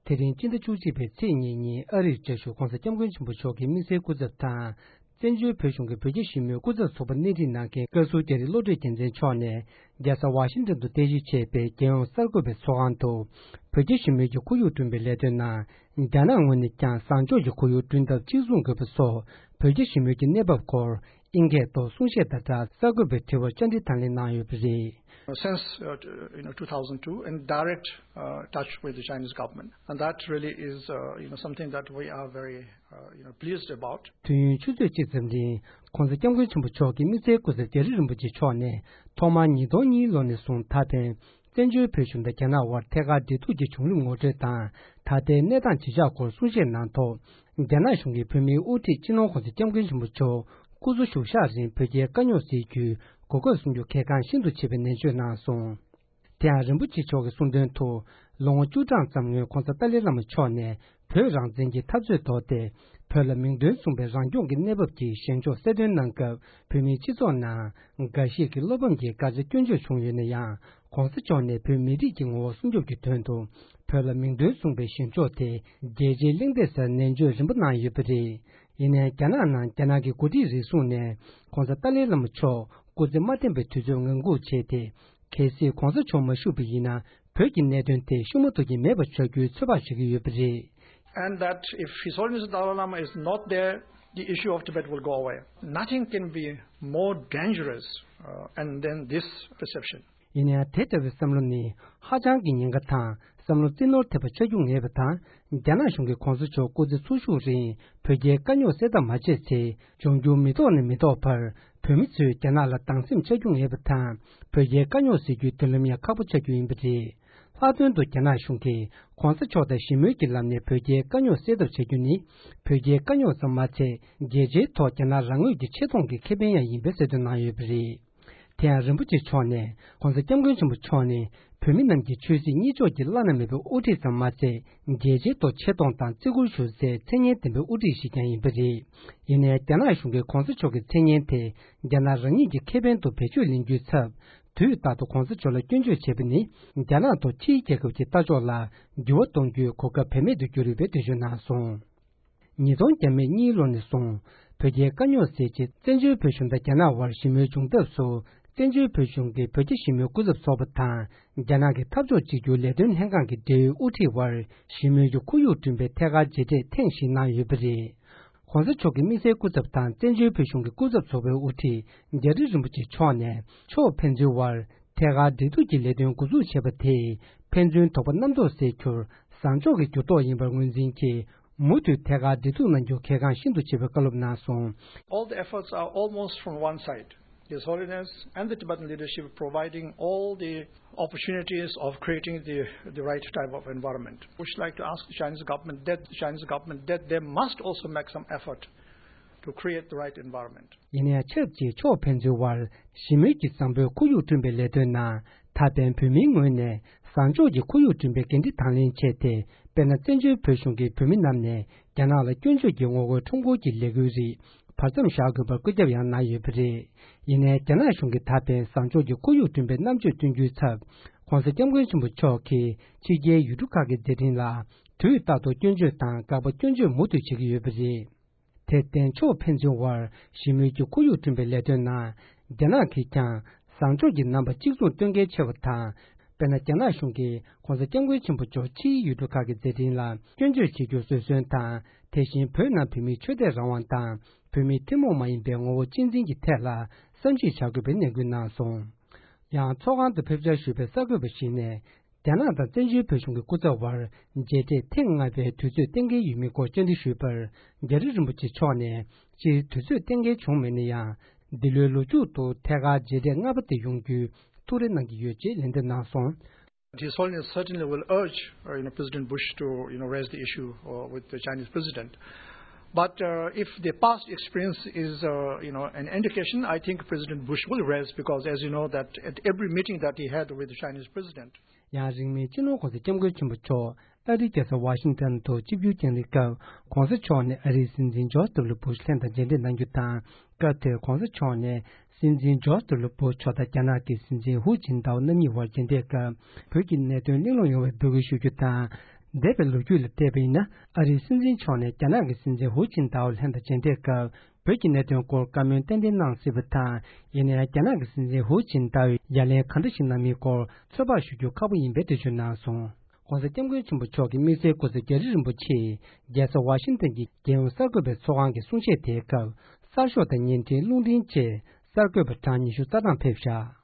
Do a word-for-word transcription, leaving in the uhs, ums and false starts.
དེ་རིང་སྤྱི་ཟླ་བཅུ་གཅིག་པའི་ཚེས་གཉིས་ཉིན་ཨ་རིར་བཅའ་བཞུགས་༧གོང་ས་༧སྐྱབས་མགོན་ཆེན་པོ་མཆོག་གི་དམིགས་བསལ་སྐུ་ཚབ་དང་། བཙན་བྱོལ་བོད་གཞུང་གི་བོད་རྒྱ་ཞི་མོལ་སྐུ་ཚབ་ཚོགས་པ་སྣེ་ཁྲིད་གནང་མཁན་བཀའ་ཟུར་རྒྱ་རི་བློ་གྲོས་རྒྱལ་མཚན་མཆོག་ནས་རྒྱལ་ས་ཝ་ཤིང་ཏན་དུ་རྟེན་གཞི་བྱས་པའི་རྒྱལ་ཡོངས་གསར་འགོད་པའི་ཚོགས་ཁང་དུ། བོད་རྒྱ་ཞི་མོལ་གྱི་ཁོར་ཡུག་བསྐྲུན་པའི་ལས་དོན་ནང་རྒྱ་ནག་ངོས་ནས་ཀྱང་བཟང་ཕྱོགས་ཀྱི་ཁོར་ཡུག་བསྐྲུན་ཐབས་གཅིག་མཚུངས་དགོས་པ་སོགས་བོད་རྒྱ་ཞི་མོལ་གྱི་གནས་བབ་སྐོར་ཨིན་སྐད་ཐོག་གསུང་བཤད་དང་སྦྲགས་གསར་འགོད་པའི་དྲི་བར་བཅར་འདྲི་དང་ལེན་གནང་ཡོད་པ་རེད། Since, uh, you know, two thousand two, in direct, uh, touch with the Chinese government. And that really is, uh, you know, something that we are very, uh, you know, pleased about. དུས་ཡུན་ཆུ་ཚོད་གཅིག་ཙམ་རིང་༧གོང་ས་༧སྐྱབས་མགོན་ཆེན་པོ་མཆོག་གི་དམིགས་བསལ་སྐུ་ཚབ་རྒྱ་རི་རིན་པོ་ཆེ་མཆོག་ནས་ཐོག་མར་ཉིས་སྟོང་གཉིས་ལོ་ནས་བཟུང་ད་ཕན་བཙན་བྱོལ་བོད་གཞུང་དང་རྒྱ་ནག་དབར་ཐད་ཀར་འབྲེལ་གཏུག་གི་བྱུང་རིམ་ངོ་སྤྲོད་དང་ད་ལྟའི་གནས་སྟངས་ཇི་ཆགས་སྐོར་གསུང་བཤད་གནང་ཐོག་རྒྱ་ནག་གཞུང་གིས་བོད་མིའི་དབུ་ཁྲིད་སྤྱི་ནོར་༧གོང་ས་༧སྐྱབས་མགོན་ཆེན་པོ་མཆོག་སྐུ་འཚོ་བཞུགས་ཤག་རིང་བོད་རྒྱའི་དཀའ་རྙོག་སེལ་རྒྱུའི་གོ་སྐབས་སྲུང་རྒྱུ་གལ་འགངས་ཤིན་ཏུ་ཆེ་བའི་ནན་བརྗོད་གནང་སོང་། དེ་ཡང་རིན་པོ་ཆེ་མཆོག་གིས་གསུངས་དོན་དུ་ལོ་ངོ་བཅུ་གྲངས་ཙམ་སྔོན་༧གོང་ས་ཏཱ་ལའི་བླ་མ་མཆོག་ནས་བོད་རང་བཙན་གྱི་འཐབ་རྩོད་ཐོག་སྟེ་བོད་ལ་མིང་དོན་མཚུངས་པའི་རང་སྐྱོང་གི་གནས་བབ་ཀྱི་བཞེངས་ཕྱོགས་གསལ་སྟོན་གནང་སྐབས་བོད་མིའི་སྤྱི་ཚོགས་ནང་འགའ་ཞིག་གིས་བློ་ཕམ་གྱིས་ག་ཚོད་སྐྱོན་བརྗོད་བྱུང་ཡོད་ན་ཡང་། ༸གོང་ས་མཆོག་ནས་བོད་མི་རིགས་ཀྱི་ངོ་བོ་སྲུང་སྐྱོབ་ཀྱི་དོན་དུ་བོད་ལ་མིང་དོན་མཚུངས་པའི་བཞེངས་ཕྱོགས་དེ་རྒྱལ་སྤྱིའི་གླེང་སྟེགས་སར་ནན་བརྗོད་རིམ་པ་གནང་ཡོད་པ་རེད། ཡིན་ནའི་རྒྱ་ནག་ནང་རྒྱ་ནག་གི་འགོ་ཁྲིད་རེ་ཟུང་ནས་༸གོང་ས་ཏཱ་ལའི་བླ་མ་མཆོག་སྐུ་ཚེ་མ་བརྟན་པའི་དུས་ཚོད་ངང་སྒུག་བྱས་ཏེ། གལ་སྲིད་༸གོང་ས་མཆོག་མ་བཞུགས་པ་ཡིན་ན་བོད་ཀྱི་གནད་དོན་དེ་ཤུགས་མ་ཐུག་གི་མེད་པ་ཆགས་རྒྱུའི་ཚོད་དཔག་བྱེད་ཀྱི་ཡོད་པ་རེད། And that if His Holiness the Dalai Lama is not there, the issue of Tibet will go away. Nothing can be more dangerous, uh, and than this perception. ཡིན་ཡང་དེ་ལྟ་བུའི་བསམ་བློ་ནི་ཧ་ཅང་གི་ཉེན་ཁ་དང་བསམ་བློ་རྩིས་ནོར་ཐེབས་པ་ཆགས་རྒྱུ་ངེས་པ་དང་། རྒྱ་ནག་གཞུང་གིས་༸གོང་ས་མཆོག་སྐུ་ཚེ་འཚོ་བཞུགས་རིང་བོད་རྒྱའི་དཀའ་རྙོག་སེལ་ཐབས་མ་བྱས་ཚེ། འབྱུང་འགྱུར་མི་ཐོག་ནས་མི་ཐོག་བར་བོད་མི་ཚོས་རྒྱ་ནག་ལ་སྡང་སེམས་ཆགས་རྒྱུ་ངེས་པ་དང་། བོད་རྒྱའི་དཀའ་རྙོག་སེལ་རྒྱུའི་མདུན་ལམ་ཡང་ཁག་པོ་ཆགས་རྒྱུ་ཡིན་པ་རེད། ལྷག་དོན་དུ་རྒྱ་ནག་གཞུང་གིས་༸གོང་ས་མཆོག་དང་ཞི་མོལ་གྱི་ལམ་ནས་བོད་རྒྱའི་དཀའ་རྙོག་སེལ་ཐབས་བྱ་རྒྱུ་ནི། བོད་རྒྱའི་དཀའ་རྙོག་ཙམ་མ་ཚད། རྒྱལ་སྤྱིའི་ཐོག་རྒྱ་ནག་རང་ངོས་ཀྱི་ཆེ་མཐོང་གི་ཁེ་ཕན་ཡང་ཡིན་པའི་གསལ་སྟོན་གནང་ཡོད་པ་རེད། དེ་ཡང་རིན་པོ་ཆེ་མཆོག་ནས་༸གོང་ས་༸སྐྱབས་མགོན་ཆེན་པོ་མཆོག་ནི་བོད་མི་རྣམས་ཀྱི་ཆོས་སྲིད་གཉིས་ཕྱོགས་ཀྱི་བླ་ན་མེད་པའི་དབུ་ཁྲིད་ཙམ་མ་ཟད། རྒྱལ་སྤྱིའི་ཐོག་ཆེ་མཐོང་དང་བརྩི་བཀུར་ཞུ་སའི་མཚན་སྙན་ལྡན་པའི་དབུ་ཁྲིད་ཞིག་ཀྱང་ཡིན་པ་རེད། ཡིན་ནའི་རྒྱ་ནག་གཞུང་གིས་༸གོང་ས་མཆོག་གི་མཚན་སྙན་དེ་རྒྱ་ནག་རང་ཉིད་ཀྱི་ཁེ་ཕན་དུ་བེད་སྤྱོད་ལེན་རྒྱུའི་ཚབ། དུས་རྟག་ཏུ་༸གོང་ས་མཆོག་ལ་སྐྱོན་བརྗོད་བྱས་པ་ནི་རྒྱ་ནག་ཐོག་ཕྱིའི་རྒྱལ་ཁབ་ཀྱི་ལྟ་ཕྱོགས་ལ་འགྱུར་བ་གཏོང་རྒྱུའི་གོ་སྐབས་བེད་མེད་དུ་གྱུར་ཡོད་པའི་འགྲེལ་བརྗོད་གནང་སོང་། ཉིས་སྟོང་བརྒྱ་མེད་གཉིས་ལོ་ནས་བཟུང་བོད་རྒྱའི་དཀའ་རྙོག་སེལ་ཆེད་བཙན་བྱོལ་བོད་གཞུང་དང་རྒྱ་ནག་དབར་ཞི་མོལ་བྱུང་ཐབས་སུ། བཙན་བྱོལ་བོད་གཞུང་གི་བོད་རྒྱ་ཞི་མོལ་སྐུ་ཚབ་ཚོགས་པ་དང་རྒྱ་ནག་གི་འཐབ་ཕྱོགས་གཅིག་གྱུར་ལས་དོན་ལྷན་ཁང་གི་འབྲེལ་ཡོད་དབུ་ཁྲིད་དབར་ཞི་མོལ་གྱི་ཁོར་ཡུག་བསྐྲུན་པའི་ཐད་ཀར་མཇལ་འཕྲད་ཐེངས་ཤིག་གནང་ཡོད་པ་རེད། ༸གོང་ས་མཆོག་གི་དམིགས་བསལ་སྐུ་ཚབ་དང་བཙན་བྱོལ་བོད་གཞུང་གི་སྐུ་ཚབ་ཚོགས་པའི་དབུ་ཁྲིད་རྒྱ་རི་རིན་པོ་ཆེ་མཆོག་ནས་ཕྱོགས་ཕན་ཚུན་དབར་ཐད་ཀར་འབྲེལ་གཏུག་གི་ལས་དོན་འགོ་འཛུགས་བྱས་པ་དེས་ཕན་ཚུན་དོགས་པ་རྣམ་རྟོག་སེལ་རྒྱུར་བཟང་ཕྱོགས་ཀྱི་འགྱུར་ལྡོག་ཡིན་པར་ངོས་འཛིན་གྱིས། མུ་མཐུད་ཐད་ཀར་འབྲེལ་གཏུག་གནང་རྒྱུ་གལ་འགངས་ཤིན་ཏུ་ཆེ་བའི་བཀའ་སློབ་གནང་སོང་། All the efforts are almost from one side. His Holiness and the Tibetan leadership providing all the opportunities of creating the, the right type of environment. We should like to ask the Chinese government that, the Chinese government that they must also make some effort to create the right environment. ཡིན་ཡང་ཆབས་ཅིག་ཕྱོགས་ཕན་ཚུན་དབར་ཞི་མོལ་གྱི་བཟང་པོའི་ཁོར་ཡུག་བསྐྲུན་པའི་ལས་དོན་ནང་ད་ཕན་བོད་མིའི་ངོས་ནས་བཟང་ཕྱོགས་ཀྱི་ཁོར་ཡུག་བསྐྲུན་པའི་འགན་འཁྲི་དང་ལེན་བྱས་ཏེ། དཔེར་ན་བཙན་བྱོལ་བོད་གཞུང་གིས་བོད་མི་རྣམས་ནས་རྒྱ་ནག་ལ་སྐྱོན་བརྗོད་ཀྱི་ངོ་རྒོལ་ཁྲོམ་སྐོར་གྱི་ལས་འགུལ་རིགས་བར་མཚམས་བཞག་དགོས་པར་བཀོད་ཁྱབ་ཡང་གནང་ཡོད་པ་རེད། ཡིན་ནའི་རྒྱ་ནག་གཞུང་གིས་ད་ཕན་བཟང་ཕྱོགས་ཀྱི་ཁོར་ཡུག་བསྐྲུན་པའི་རྣམ་དཔྱོད་སྟོན་རྒྱུའི་ཚབ། ༸གོང་ས་༸སྐྱབས་མགོན་ཆེན་པོ་མཆོག་གིས་ཕྱི་རྒྱལ་ཡུལ་གྲུ་ཁག་གི་མཛད་འཕྲིན་ལ་དུས་རྟག་ཏུ་སྐྱོན་བརྗོད་དང་དགག་པ་སྐྱོན་བརྗོད་མུ་མཐུད་བྱེད་ཀྱི་ཡོད་པ་རེད། དེར་བརྟེན་ཕྱོགས་ཕན་ཚུན་དབར་ཞི་མོལ་གྱི་ཁོར་ཡུག་བསྐྲུན་པའི་ལས་དོན་ནང་རྒྱ་ནག་གིས་ཀྱང་བཟང་ཕྱོགས་ཀྱི་རྣམ་པ་གཅིག་མཚུངས་སྟོན་གལ་ཆེ་བ་དང་། དཔེར་ན་རྒྱ་ནག་གཞུང་གིས་༸གོང་ས་༸སྐྱབས་མགོན་ཆེན་པོ་མཆོག་ཕྱིའི་ཡུལ་གྲུ་ཁག་གི་མཛད་འཕྲིན་ལ་སྐྱོན་བརྗོད་བྱེད་རྒྱུར་བཟོད་གསོལ་དང་། དེ་བཞིན་བོད་ནང་བོད་མིའི་ཆོས་དད་རང་དབང་དང་བོད་མིའི་ཐུན་མོང་མ་ཡིན་པའི་ངོ་བོ་གཅེས་འཛིན་གྱི་ཐད་ལ་བསམ་གཞིག་བྱ་དགོས་པའི་ནན་སྐུལ་གནང་སོང་། ཡང་ཚོགས་ཁང་དུ་ཕེབས་བཅར་ཞུས་པའི་གསར་འགོད་པ་ཞིག་ནས། རྒྱ་ནག་དང་བཙན་བྱོལ་བོད་གཞུང་གི་སྐུ་ཚབ་དབར་མཇལ་འཕྲད་ཐེངས་ལྔ་པའི་དུས་ཚོད་གཏན་འཁེལ་ཡོད་མེད་སྐོར་བཅར་འདྲི་ཞུས་པར། རྒྱ་རི་རིན་པོ་ཆེ་མཆོག་ནས་སྤྱིར་དུས་ཚོད་གཏན་འཁེལ་བྱུང་མེད་ན་ཡང་། འདི་ལོའི་ལོ་མཇུག་ཏུ་ཐད་ཀར་མཇལ་འཕྲད་ལྔ་པ་དེ་ཡོང་རྒྱུའི་ཐུགས་རེ་གནང་གི་ཡོད་ཅེས་ལན་འདེབས་གནང་སོང་། His Holiness certainly will urge, uh, you know, President Bush to, you know, raise the issue, uh, with the Chinese president. But, uh, if the past experience is, uh, you know, an indication, I think President Bush will raise, because as you know that at every meeting that he had with the Chinese president, ཡང་རིང་མིན་སྤྱི་ནོར་༸གོང་ས་༸སྐྱབས་མགོན་ཆེན་པོ་མཆོག་ཨ་རིའི་རྒྱལ་ས་ཝ་ཤིང་ཏན་དུ་ཆིབས་བསྒྱུར་བསྐྱངས་ལེགས་སྐབས། ༸གོང་ས་མཆོག་ནས་ཨ་རིའི་སྲིད་འཛིན་ཇོརྗ་ཌབ་ལུ་བུ་ཤ་ལྷན་དང་མཇལ་འཕྲད་གནང་རྒྱུ་དང་། སྐབས་དེར་༸གོང་ས་མཆོག་ནས་སྲིད་འཛིན་ཇོརྗ་ཌབ་ལུ་བུ་ཤ་དང་རྒྱ་ནག་གི་སྲིད་འཛིན་ཧུའུ་ཅིན་ཏའོ་རྣམ་གཉིས་དབར་མཇལ་འཕྲད་སྐབས། བོད་ཀྱི་གནད་དོན་གླེང་སློང་ཡོང་བའི་འབོད་སྐུལ་ཞུ་རྒྱུ་དང་། འདས་པའི་ལོ་རྒྱུས་ལ་བལྟས་པ་ཡིན་ན། ཨ་རིའི་སྲིད་འཛིན་མཆོག་ནས་རྒྱ་ནག་གི་སྲིད་འཛིན་ཧུའུ་ཅིན་ཏའོ་ལྷན་དུ་མཇལ་འཕྲད་སྐབས། བོད་ཀྱི་གནད་དོན་སྐོར་བཀའ་མོལ་ཏན་ཏན་གནང་སྲིད་པ་དང་། ཡིན་ནའང་རྒྱ་ནག་གི་སྲིད་འཛིན་ཧུའུ་ཅིན་ཏའོས་ཡ་ལན་ག་འདྲ་ཞིག་གནང་མིན་སྐོར་ཚོད་དཔག་ཞུ་རྒྱུ་ཁག་པོ་ཡིན་པའི་འགྲེལ་བརྗོད་གནང་སོང་། ༸གོང་ས་༸སྐྱབས་མགོན་ཆེན་པོ་མཆོག་གི་དམིགས་བསལ་སྐུ་ཚབ་རྒྱ་རི་རིན་པོ་ཆེས་རྒྱལ་ས་ཝ་ཤིང་ཏན་གྱི་རྒྱལ་ཡོངས་གསར་འགོད་པའི་ཚོགས་ཁང་གི་གསུང་བཤད་དེའི་སྐབས། གསར་ཤོག་དང་བརྙན་འཕྲིན་རླུང་འཕྲིན་བཅས་གསར་འགོད་པ་གྲངས་ཉི་ཤུ་རྩ་གྲངས་ཕེབས་བཞག